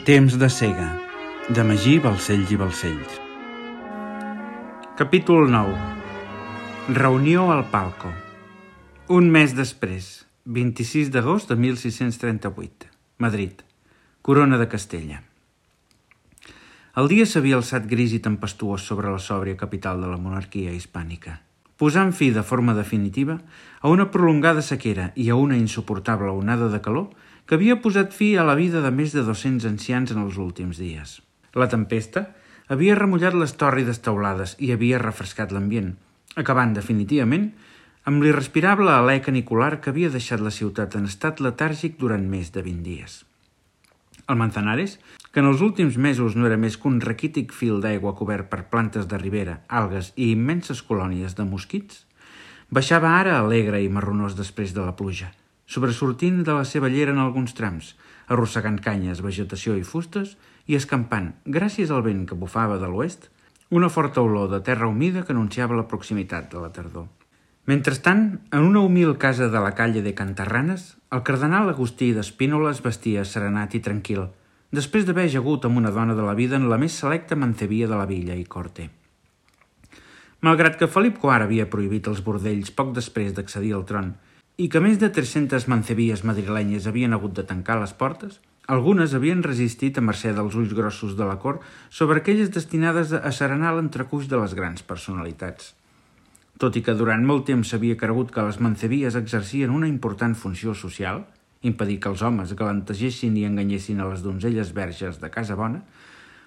Temps de cega, de Magí Balcells i Balcells. Capítol 9. Reunió al Palco. Un mes després, 26 d'agost de 1638, Madrid, Corona de Castella. El dia s'havia alçat gris i tempestuós sobre la sòbria capital de la monarquia hispànica, posant fi de forma definitiva a una prolongada sequera i a una insuportable onada de calor que havia posat fi a la vida de més de 200 ancians en els últims dies. La tempesta havia remullat les tòrrides teulades i havia refrescat l'ambient, acabant definitivament amb l'irrespirable alè canicular que havia deixat la ciutat en estat letàrgic durant més de 20 dies. El Manzanares, que en els últims mesos no era més que un raquític fil d'aigua cobert per plantes de ribera, algues i immenses colònies de mosquits, baixava ara alegre i marronós després de la pluja, sobresortint de la seva llera en alguns trams, arrossegant canyes, vegetació i fustes i escampant, gràcies al vent que bufava de l'oest, una forta olor de terra humida que anunciava la proximitat de la tardor. Mentrestant, en una humil casa de la calle de Cantarranes, el cardenal Agustí d'Espínola es vestia serenat i tranquil, després d'haver ajagut amb una dona de la vida en la més selecta mancebia de la villa i corte. Malgrat que Felip IV havia prohibit els bordells poc després d'accedir al tron i que més de 300 mancebies madrilenyes havien hagut de tancar les portes, algunes havien resistit a mercè dels ulls grossos de la cort sobre aquelles destinades a serenar l'entrecuix de les grans personalitats. Tot i que durant molt temps s'havia cregut que les mancebies exercien una important funció social, impedir que els homes galantegessin i enganyessin a les donzelles verges de casa bona,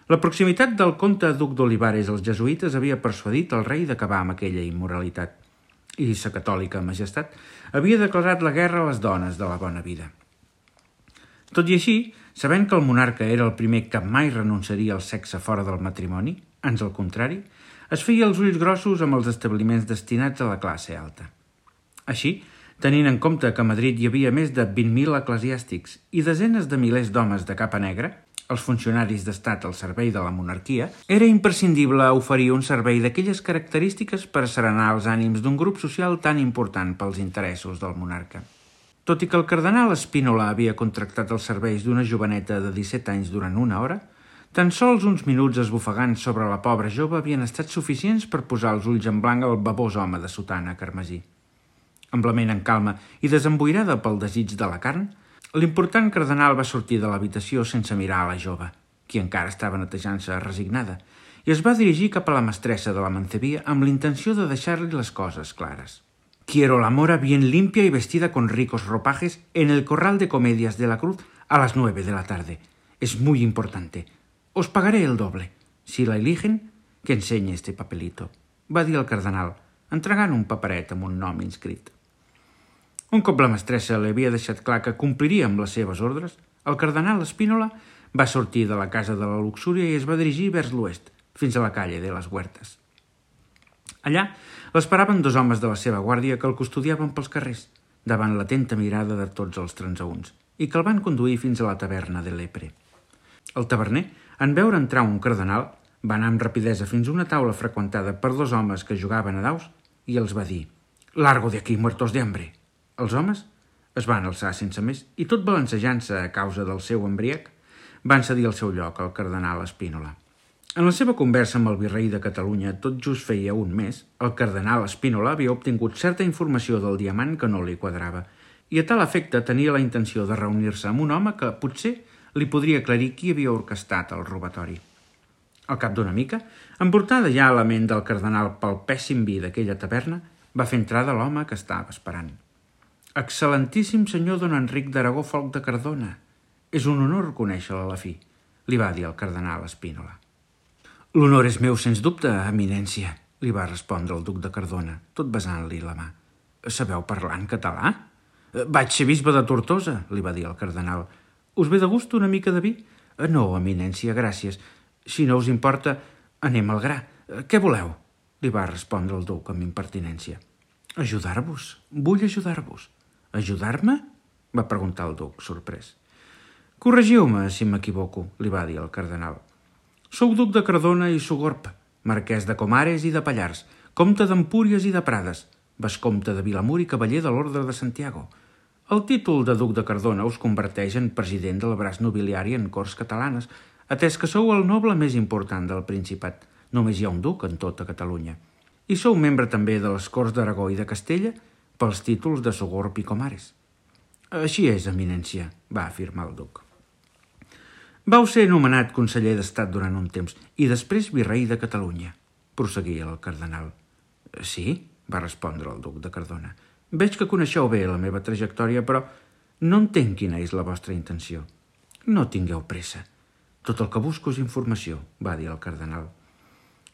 la proximitat del comte duc d'Olivares als jesuïtes havia persuadit el rei d'acabar amb aquella immoralitat, i sa catòlica majestat havia declarat la guerra a les dones de la bona vida. Tot i així, sabent que el monarca era el primer que mai renunciaria al sexe fora del matrimoni, ans al contrari, es feia els ulls grossos amb els establiments destinats a la classe alta. Així, tenint en compte que a Madrid hi havia més de 20.000 eclesiàstics i desenes de milers d'homes de capa negra, els funcionaris d'estat al servei de la monarquia, era imprescindible oferir un servei d'aquelles característiques per serenar els ànims d'un grup social tan important pels interessos del monarca. Tot i que el cardenal Espínola havia contractat els serveis d'una joveneta de 17 anys durant una hora, tan sols uns minuts esbufegants sobre la pobra jove havien estat suficients per posar els ulls en blanc al babós home de sotana carmesí. Amb la ment en calma i desemboirada pel desig de la carn, l'important cardenal va sortir de l'habitació sense mirar a la jove, qui encara estava netejant-se resignada, i es va dirigir cap a la mestressa de la mancebia amb l'intenció de deixar-li les coses clares. «Quiero la mora bien limpia y vestida con ricos ropajes en el corral de comedias de la Cruz a las 9 de la tarde. Es muy importante. Os pagaré el doble. Si la eligen, que enseñe este papelito», va dir el cardenal, entregant un paperet amb un nom inscrit. Un cop la mestressa li havia deixat clar que compliria amb les seves ordres, el cardenal Espínola va sortir de la casa de la luxúria i es va dirigir vers l'oest, fins a la calle de les Huertes. Allà l'esperaven 2 homes de la seva guàrdia que el custodiaven pels carrers, davant l'atenta mirada de tots els transeünts, i que el van conduir fins a la taverna de l'Epre. El taverner, en veure entrar un cardenal, va anar amb rapidesa fins a una taula freqüentada per 2 homes que jugaven a daus i els va dir «Largo de aquí, muertos de hambre». Els homes es van alçar sense més i, tot balancejant-se a causa del seu embriac, van cedir el seu lloc al cardenal Espínola. En la seva conversa amb el virrei de Catalunya tot just feia un mes, el cardenal Espínola havia obtingut certa informació del diamant que no li quadrava i a tal efecte tenia la intenció de reunir-se amb un home que potser li podria aclarir qui havia orquestat el robatori. Al cap d'una mica, emportada ja a la ment del cardenal pel pèssim vi d'aquella taverna, va fer entrada l'home que estava esperant. «Excel·lentíssim senyor don Enric d'Aragó Folc de Cardona, és un honor conèixer-lo a la fi», li va dir el cardenal Espínola. «L'honor és meu, sens dubte, eminència», li va respondre el duc de Cardona, tot besant-li la mà. «Sabeu parlar en català?» «Vaig ser bisbe de Tortosa», li va dir el cardenal. «Us ve de gust una mica de vi?» «No, eminència, gràcies. Si no us importa, anem al gra. Què voleu?» li va respondre el duc amb impertinència. «Ajudar-vos. Vull ajudar-vos». «Ajudar-me?», va preguntar el duc, sorprès. «Corregiu-me si m'equivoco», li va dir el cardenal. «Sou duc de Cardona i Sogorb, marquès de Comares i de Pallars, comte d'Empúries i de Prades, vescomte de Vilamur i cavaller de l'Orde de Santiago. El títol de duc de Cardona us converteix en president del braç nobiliari en Corts Catalanes, atès que sou el noble més important del Principat. Només hi ha un duc en tota Catalunya. I sou membre també de les Corts d'Aragó i de Castella pels títols de Sogorb i Comares. Així és, eminència, va afirmar el duc. Vau ser nomenat conseller d'Estat durant un temps i després virrei de Catalunya, prosseguia el cardenal. Sí, va respondre el duc de Cardona. Veig que coneixeu bé la meva trajectòria, però no entenc quina és la vostra intenció. No tingueu pressa. Tot el que busco és informació, va dir el cardenal.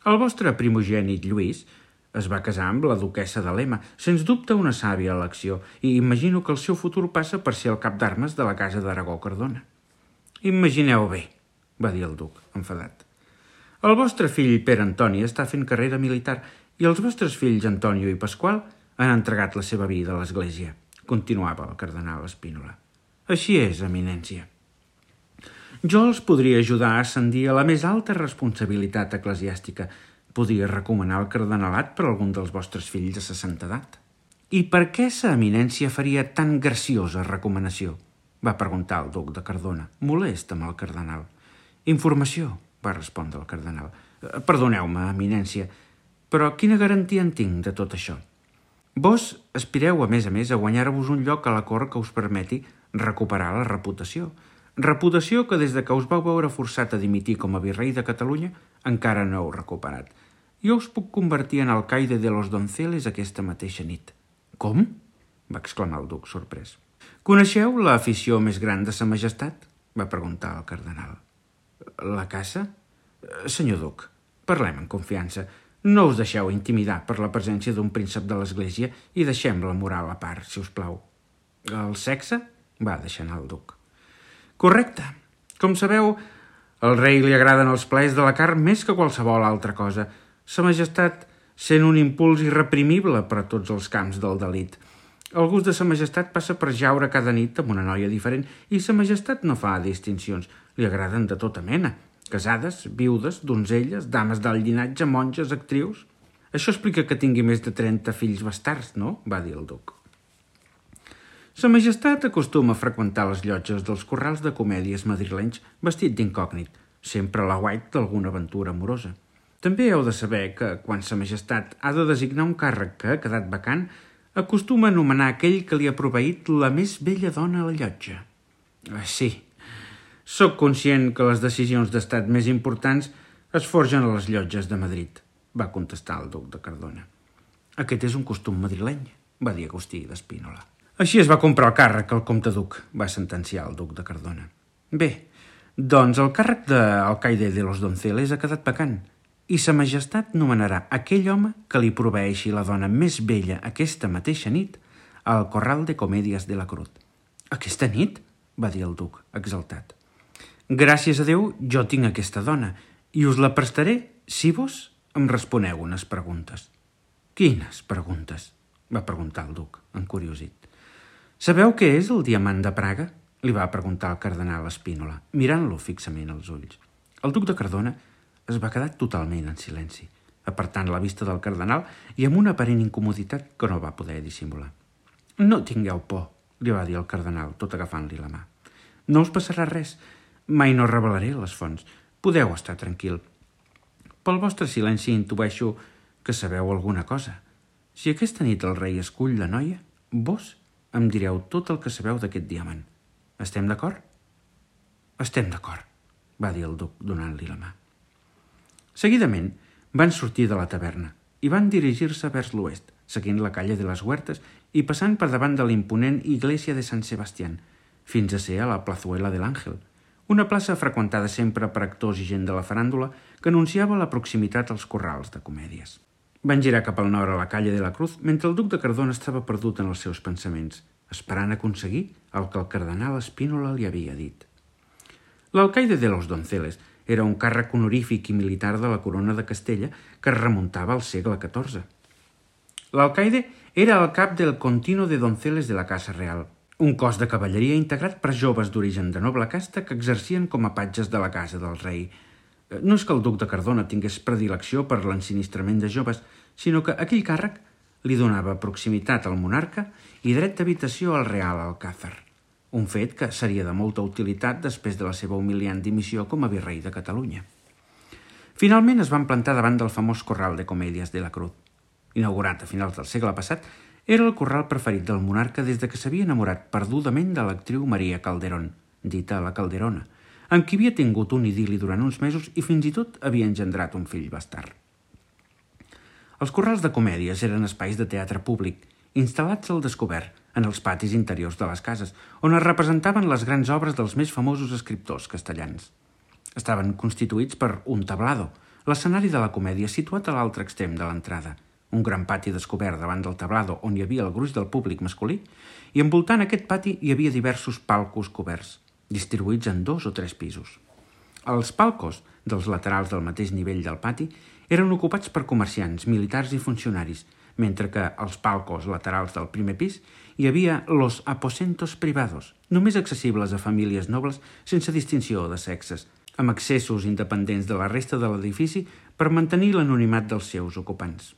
El vostre primogènit Lluís es va casar amb la duquessa de Lema, sens dubte una sàvia elecció, i imagino que el seu futur passa per ser el cap d'armes de la casa d'Aragó-Cardona. Imagineu bé, va dir el duc, enfadat. El vostre fill Pere Antoni està fent carrera militar i els vostres fills Antonio i Pasqual han entregat la seva vida a l'Església, continuava el cardenal Spínola. Així és, eminència. Jo els podria ajudar a ascendir a la més alta responsabilitat eclesiàstica. Podria recomanar el cardenalat per algun dels vostres fills de 60 edat. I per què sa eminència faria tan graciosa recomanació? Va preguntar el duc de Cardona, molest amb el cardenal. Informació, va respondre el cardenal. Perdoneu-me, eminència, però quina garantia en tinc de tot això? Vos aspireu, a més, a guanyar-vos un lloc a la cort que us permeti recuperar la reputació. Reputació que des de que us vau veure forçat a dimitir com a virrei de Catalunya encara no heu recuperat. Jo us puc convertir en alcaide de los Donceles aquesta mateixa nit. Com? Va exclamar el duc, sorprès. Coneixeu l'afició més gran de sa majestat? Va preguntar el cardenal. La caça? Senyor duc, parlem en confiança. No us deixeu intimidar per la presència d'un príncep de l'Església i deixem la moral a part, si us plau. El sexe? Va deixar anar el duc. Correcte. Com sabeu, al rei li agraden els plaers de la carn més que qualsevol altra cosa. Sa majestat sent un impuls irreprimible per a tots els camps del delit. El gust de sa majestat passa per jaure cada nit amb una noia diferent i sa majestat no fa distincions. Li agraden de tota mena. Casades, viudes, donzelles, dames d'alt llinatge, monges, actrius... Això explica que tingui més de 30 fills bastards, no? Va dir el duc. Sa majestat acostuma a freqüentar les llotges dels corrals de comèdies madrilenys vestit d'incògnit, sempre a la guait d'alguna aventura amorosa. També heu de saber que, quan sa majestat ha de designar un càrrec que ha quedat vacant, acostuma a anomenar aquell que li ha proveït la més bella dona a la llotja. Sí, soc conscient que les decisions d'estat més importants es forgen a les llotges de Madrid, va contestar el duc de Cardona. Aquest és un costum madrileny, va dir Agustí d'Espínola. Així es va comprar el càrrec al comte duc, va sentenciar el duc de Cardona. Bé, doncs el càrrec d'alcaide de los Donceles ha quedat vacant i sa majestat nomenarà aquell home que li proveeixi la dona més bella aquesta mateixa nit al corral de comèdies de la Cruz. Aquesta nit? Va dir el duc, exaltat. Gràcies a Déu, jo tinc aquesta dona i us la prestaré si vos em responeu unes preguntes. Quines preguntes? Va preguntar el duc, encuriosit. Sabeu què és el diamant de Praga? Li va preguntar el cardenal Spínola, mirant-lo fixament als ulls. El duc de Cardona es va quedar totalment en silenci, apartant la vista del cardenal i amb una aparent incomoditat que no va poder dissimular. No tingueu por, li va dir el cardenal, tot agafant-li la mà. No us passarà res. Mai no revelaré les fonts. Podeu estar tranquil. Pel vostre silenci intueixo que sabeu alguna cosa. Si aquesta nit el rei escull la noia, vos em direu tot el que sabeu d'aquest diamant. Estem d'acord? Estem d'acord, va dir el duc donant-li la mà. Seguidament van sortir de la taverna i van dirigir-se vers l'oest, seguint la calle de les Huertes i passant per davant de l'imponent Iglesia de Sant Sebastián, fins a ser a la Plazuela de l'Àngel, una plaça freqüentada sempre per actors i gent de la faràndula que anunciava la proximitat als corrals de comèdies. Van girar cap al nord a la calle de la Cruz mentre el duc de Cardona estava perdut en els seus pensaments, esperant aconseguir el que el cardenal Spínola li havia dit. L'alcaide de los Donceles era un càrrec honorífic i militar de la corona de Castella que es remuntava al segle XIV. L'alcaide era el cap del Contino de Donceles de la Casa Real, un cos de cavalleria integrat per joves d'origen de noble casta que exercien com a patges de la casa del rei. No és que el duc de Cardona tingués predilecció per l'ensinistrament de joves, sinó que aquell càrrec li donava proximitat al monarca i dret d'habitació al Real Alcázar, un fet que seria de molta utilitat després de la seva humiliant dimissió com a virrei de Catalunya. Finalment es van plantar davant del famós Corral de Comedias de la Cruz. Inaugurat a finals del segle passat, era el corral preferit del monarca des de que s'havia enamorat perdudament de l'actriu Maria Calderón, dita la Calderona, amb qui havia tingut un idil·li durant uns mesos i fins i tot havia engendrat un fill bastard. Els corrals de comèdies eren espais de teatre públic, instal·lats al descobert, en els patis interiors de les cases, on es representaven les grans obres dels més famosos escriptors castellans. Estaven constituïts per un tablado, l'escenari de la comèdia situat a l'altre extrem de l'entrada, un gran pati descobert davant del tablado on hi havia el gruix del públic masculí, i envoltant aquest pati hi havia diversos palcos coberts, distribuïts en 2 o 3 pisos. Els palcos, dels laterals del mateix nivell del pati, eren ocupats per comerciants, militars i funcionaris, mentre que als palcos laterals del primer pis hi havia los aposentos privados, només accessibles a famílies nobles sense distinció de sexes, amb accessos independents de la resta de l'edifici per mantenir l'anonimat dels seus ocupants.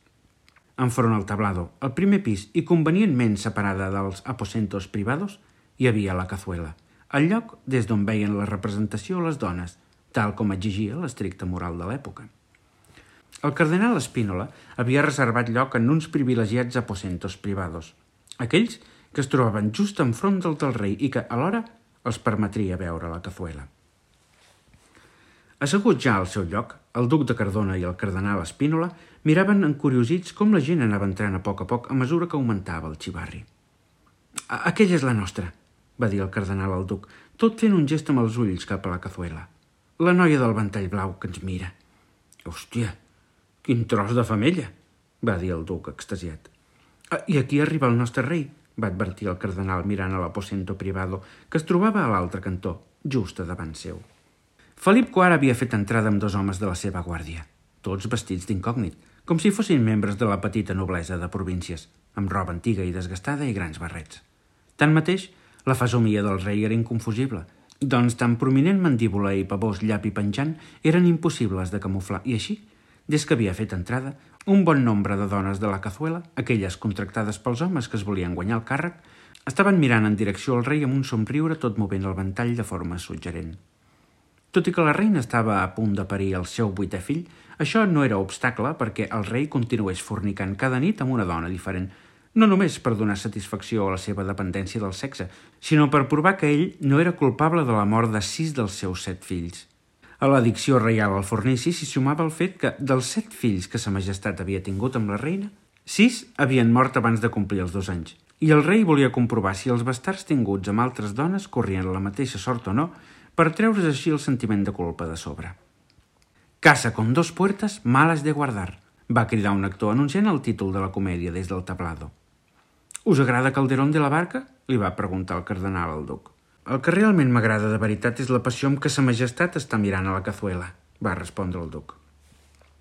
Enfront al tablado, al primer pis i convenientment separada dels aposentos privados, hi havia la cazuela, el lloc des d'on veien la representació les dones, tal com exigia l'estricta moral de l'època. El cardenal Spínola havia reservat lloc en uns privilegiats aposentos privados, aquells que es trobaven just enfront del rei i que, alhora, els permetria veure la cazuela. Asseguts ja al seu lloc, el duc de Cardona i el cardenal Spínola miraven encuriosits com la gent anava entrant a poc a mesura que augmentava el xivarri. «Aquella és la nostra», va dir el cardenal al duc, tot fent un gest amb els ulls cap a la cazuela. «La noia del ventall blau que ens mira». «Hòstia, quin tros de femella», va dir el duc extasiat. «I aquí arriba el nostre rei», va advertir el cardenal mirant a l'aposento privado que es trobava a l'altre cantó, just a davant seu. Felip IV havia fet entrada amb 2 homes de la seva guàrdia, tots vestits d'incògnit, com si fossin membres de la petita noblesa de províncies, amb roba antiga i desgastada i grans barrets. Tanmateix, la fesomia del rei era inconfusible, doncs tan prominent mandíbula i pavós llapi penjant eren impossibles de camuflar, i així, des que havia fet entrada, un bon nombre de dones de la cazuela, aquelles contractades pels homes que es volien guanyar el càrrec, estaven mirant en direcció al rei amb un somriure tot movent el ventall de forma suggerent. Tot i que la reina estava a punt de parir el seu 8è fill, això no era obstacle perquè el rei continués fornicant cada nit amb una dona diferent, no només per donar satisfacció a la seva dependència del sexe, sinó per provar que ell no era culpable de la mort de 6 dels seus 7 fills. A l'addicció reial al fornici s'hi sumava el fet que, dels 7 fills que sa majestat havia tingut amb la reina, 6 havien mort abans de complir els 2 anys, i el rei volia comprovar si els bastards tinguts amb altres dones corrien la mateixa sort o no, per treure's així el sentiment de culpa de sobre. «Casa con 2 puertas, malas de guardar», va cridar un actor anunciant el títol de la comèdia des del tablado. «Us agrada Calderón de la Barca?», li va preguntar el cardenal al duc. «El que realment m'agrada de veritat és la passió amb què sa majestat està mirant a la cazuela», va respondre el duc.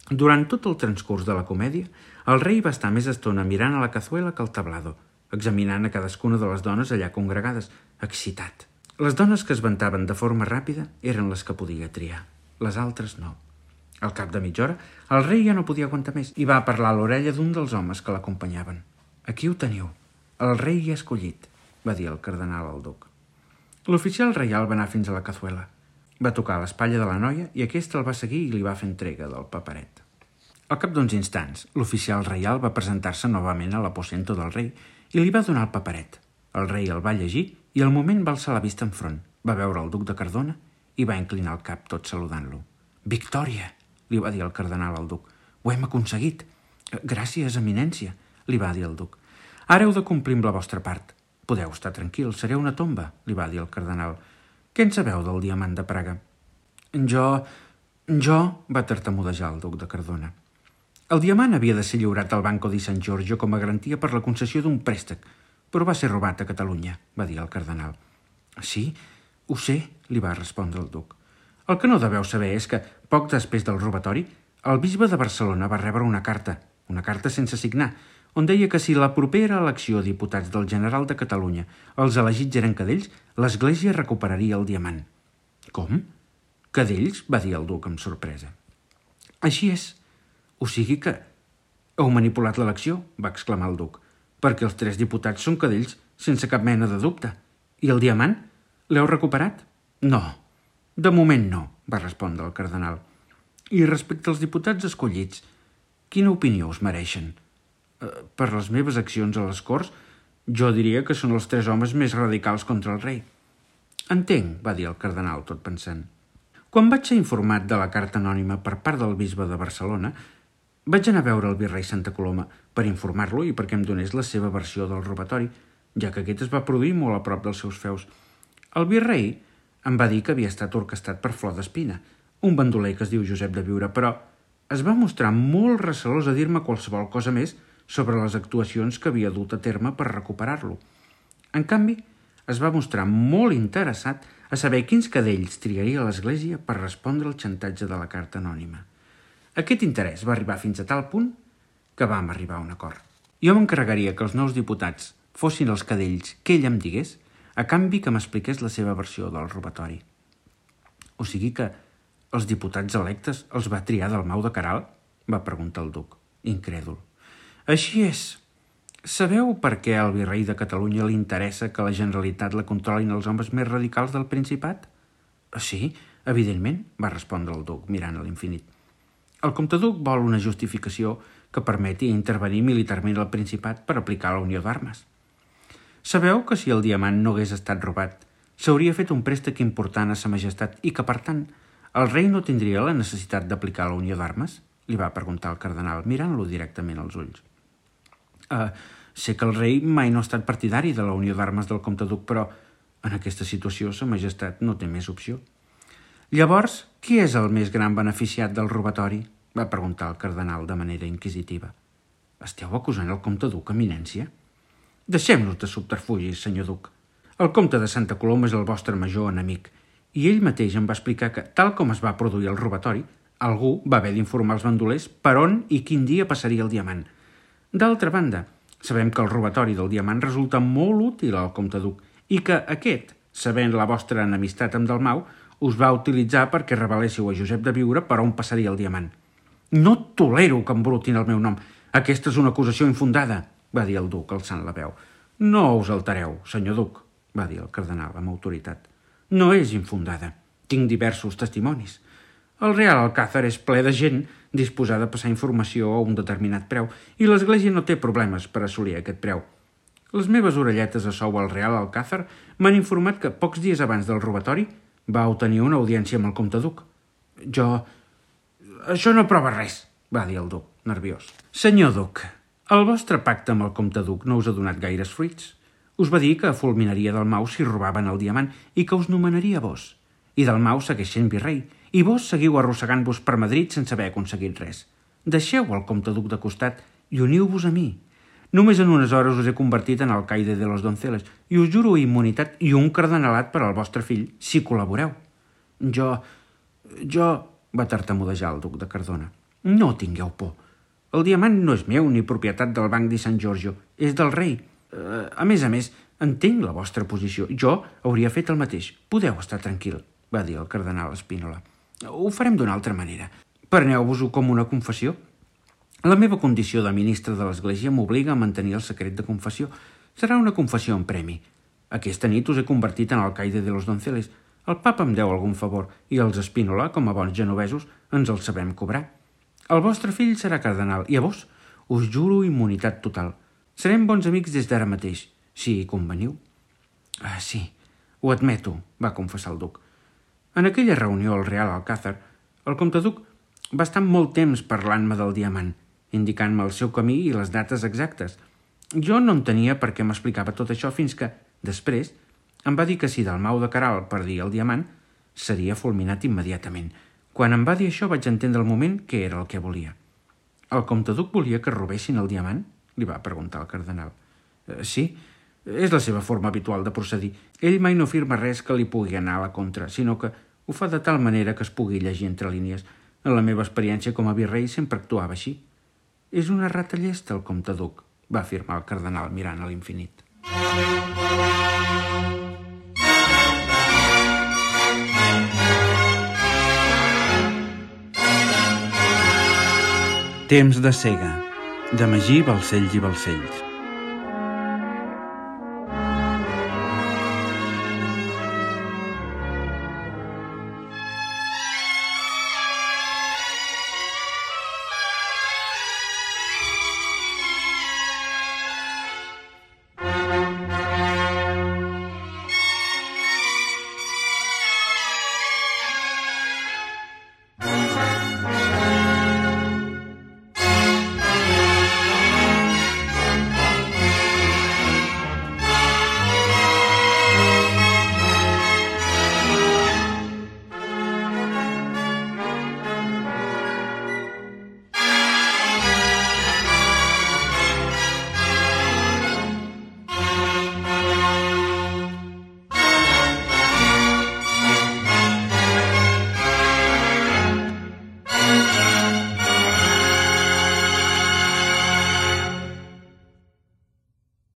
Durant tot el transcurs de la comèdia, el rei va estar més estona mirant a la cazuela que al tablado, examinant a cadascuna de les dones allà congregades, excitat. Les dones que es ventaven de forma ràpida eren les que podia triar, les altres no. Al cap de mitja hora, el rei ja no podia aguantar més i va parlar a l'orella d'un dels homes que l'acompanyaven. «Aquí ho teniu, el rei hi ha escollit», va dir el cardenal al duc. L'oficial reial va anar fins a la cazuela. Va tocar l'espatlla de la noia i aquesta el va seguir i li va fer entrega del paperet. Al cap d'uns instants, l'oficial reial va presentar-se novament a l'aposento del rei i li va donar el paperet. El rei el va llegir i al moment va alçar la vista enfront, va veure el duc de Cardona i va inclinar el cap tot saludant-lo. «Victòria!», li va dir el cardenal al duc. «Ho hem aconseguit!» «Gràcies, eminència!», li va dir el duc. «Ara heu de complir amb la vostra part. Podeu estar tranquil, seré una tomba», li va dir el cardenal. «Què en sabeu del diamant de Praga?» Jo, va tartamudejar el duc de Cardona. El diamant havia de ser lliurat al Banco di San Giorgio com a garantia per la concessió d'un préstec, però va ser robat a Catalunya, va dir el cardenal. «Sí, ho sé», li va respondre el duc. «El que no deveu saber és que, poc després del robatori, el bisbe de Barcelona va rebre una carta sense signar, on deia que si la propera elecció de diputats del General de Catalunya els elegits eren cadells, l'Església recuperaria el diamant». «Com? Cadells?», va dir el duc amb sorpresa. «Així és. O sigui que Heu manipulat l'elecció, va exclamar el duc, perquè els 3 diputats són cadells sense cap mena de dubte. I el diamant? L'heu recuperat? No, de moment no, va respondre el cardenal. I respecte als diputats escollits, quina opinió us mereixen? Per les meves accions a les Corts, jo diria que són els 3 homes més radicals contra el rei. Entenc, va dir el cardenal tot pensant. Quan vaig ser informat de la carta anònima per part del bisbe de Barcelona, vaig anar a veure el virrei Santa Coloma per informar-lo i perquè em donés la seva versió del robatori, ja que aquest es va produir molt a prop dels seus feus. El virrei em va dir que havia estat orquestat per Flor d'Espina, un bandoler que es diu Josep de Viure, però es va mostrar molt recelós a dir-me qualsevol cosa més sobre les actuacions que havia dut a terme per recuperar-lo. En canvi, es va mostrar molt interessat a saber quins cadells triaria l'Església per respondre al xantatge de la carta anònima. Aquest interès va arribar fins a tal punt que vam arribar a un acord. Jo m'encarregaria que els nous diputats fossin els cadells que ell em digués a canvi que m'expliqués la seva versió del robatori. O sigui que els diputats electes els va triar del Mau de Queralt? Va preguntar el duc, incrèdul. Així és. Sabeu per què al virrei de Catalunya li interessa que la Generalitat la controlin els homes més radicals del Principat? Sí, evidentment, va respondre el duc, mirant a l'infinit. El comte-duc vol una justificació que permeti intervenir militarment al Principat per aplicar la unió d'armes. Sabeu que si el diamant no hagués estat robat, s'hauria fet un préstec important a sa majestat i que, per tant, el rei no tindria la necessitat d'aplicar la unió d'armes? Li va preguntar el cardenal, mirant-lo directament als ulls. Sé que el rei mai no ha estat partidari de la unió d'armes del comte-duc, però en aquesta situació sa majestat no té més opció. Llavors, qui és el més gran beneficiat del robatori? Va preguntar el cardenal de manera inquisitiva. Esteu acusant el comte-duc, eminència? Deixem-nos de subterfugis, senyor duc. El comte de Santa Coloma és el vostre major enemic, i ell mateix em va explicar que, tal com es va produir el robatori, algú va haver d'informar els bandolers per on i quin dia passaria el diamant. D'altra banda, sabem que el robatori del diamant resulta molt útil al comte-duc i que aquest, sabent la vostra enemistat amb Dalmau, us va utilitzar perquè reveléssiu a Josep de Viure per on passaria el diamant. No tolero que embrutin el meu nom. Aquesta és una acusació infundada, va dir el duc alçant la veu. No us altereu, senyor duc, va dir el cardenal amb autoritat. No és infundada. Tinc diversos testimonis. El Real Alcázar és ple de gent disposada a passar informació a un determinat preu i l'Església no té problemes per assolir aquest preu. Les meves orelletes a sou al Real Alcázar m'han informat que pocs dies abans del robatori va obtenir una audiència amb el comte-duc. Això no prova res, va dir el duc, nerviós. Senyor duc, el vostre pacte amb el comte-duc no us ha donat gaires fruits. Us va dir que fulminaria Dalmau si robaven el diamant i que us nomenaria vos. I Dalmau segueix sent virrei, i vos seguiu arrossegant-vos per Madrid sense haver aconseguit res. Deixeu el comte-duc de costat i uniu-vos a mi. Només en unes hores us he convertit en alcaide de los Donceles i us juro immunitat i un cardenalat per al vostre fill si col·laboreu. Jo... va tartamudejar el duc de Cardona. No tingueu por. El diamant no és meu ni propietat del Banc di San Giorgio, és del rei. A més, entenc la vostra posició. Jo hauria fet el mateix. Podeu estar tranquil, va dir el cardenal Spínola. Ho farem d'una altra manera. Preneu-vos-ho com una confessió. La meva condició de ministre de l'Església m'obliga a mantenir el secret de confessió. Serà una confessió en premi. Aquesta nit us he convertit en alcaide de los Donceles. El papa em deu algun favor i els Spínola, com a bons genovesos, ens el sabem cobrar. El vostre fill serà cardenal i a vos us juro immunitat total. Serem bons amics des d'ara mateix, si hi conveniu. Sí, ho admeto, va confessar el duc. En aquella reunió al Real Alcázar, el comte-duc va estar molt temps parlant-me del diamant, indicant-me el seu camí i les dates exactes. Jo no entenia per què m'explicava tot això fins que, després, em va dir que si Dalmau de Queralt perdia el diamant, seria fulminat immediatament. Quan em va dir això vaig entendre el moment que era el que volia. El comte-duc volia que robessin el diamant? Li va preguntar el cardenal. Sí, és la seva forma habitual de procedir. Ell mai no firma res que li pugui anar a la contra, sinó que ho fa de tal manera que es pugui llegir entre línies. En la meva experiència com a virrei sempre actuava així. És una rata llesta, el comte-duc, va afirmar el cardenal mirant a l'infinit. Temps de cega, De Magí, Balcells i Balcells.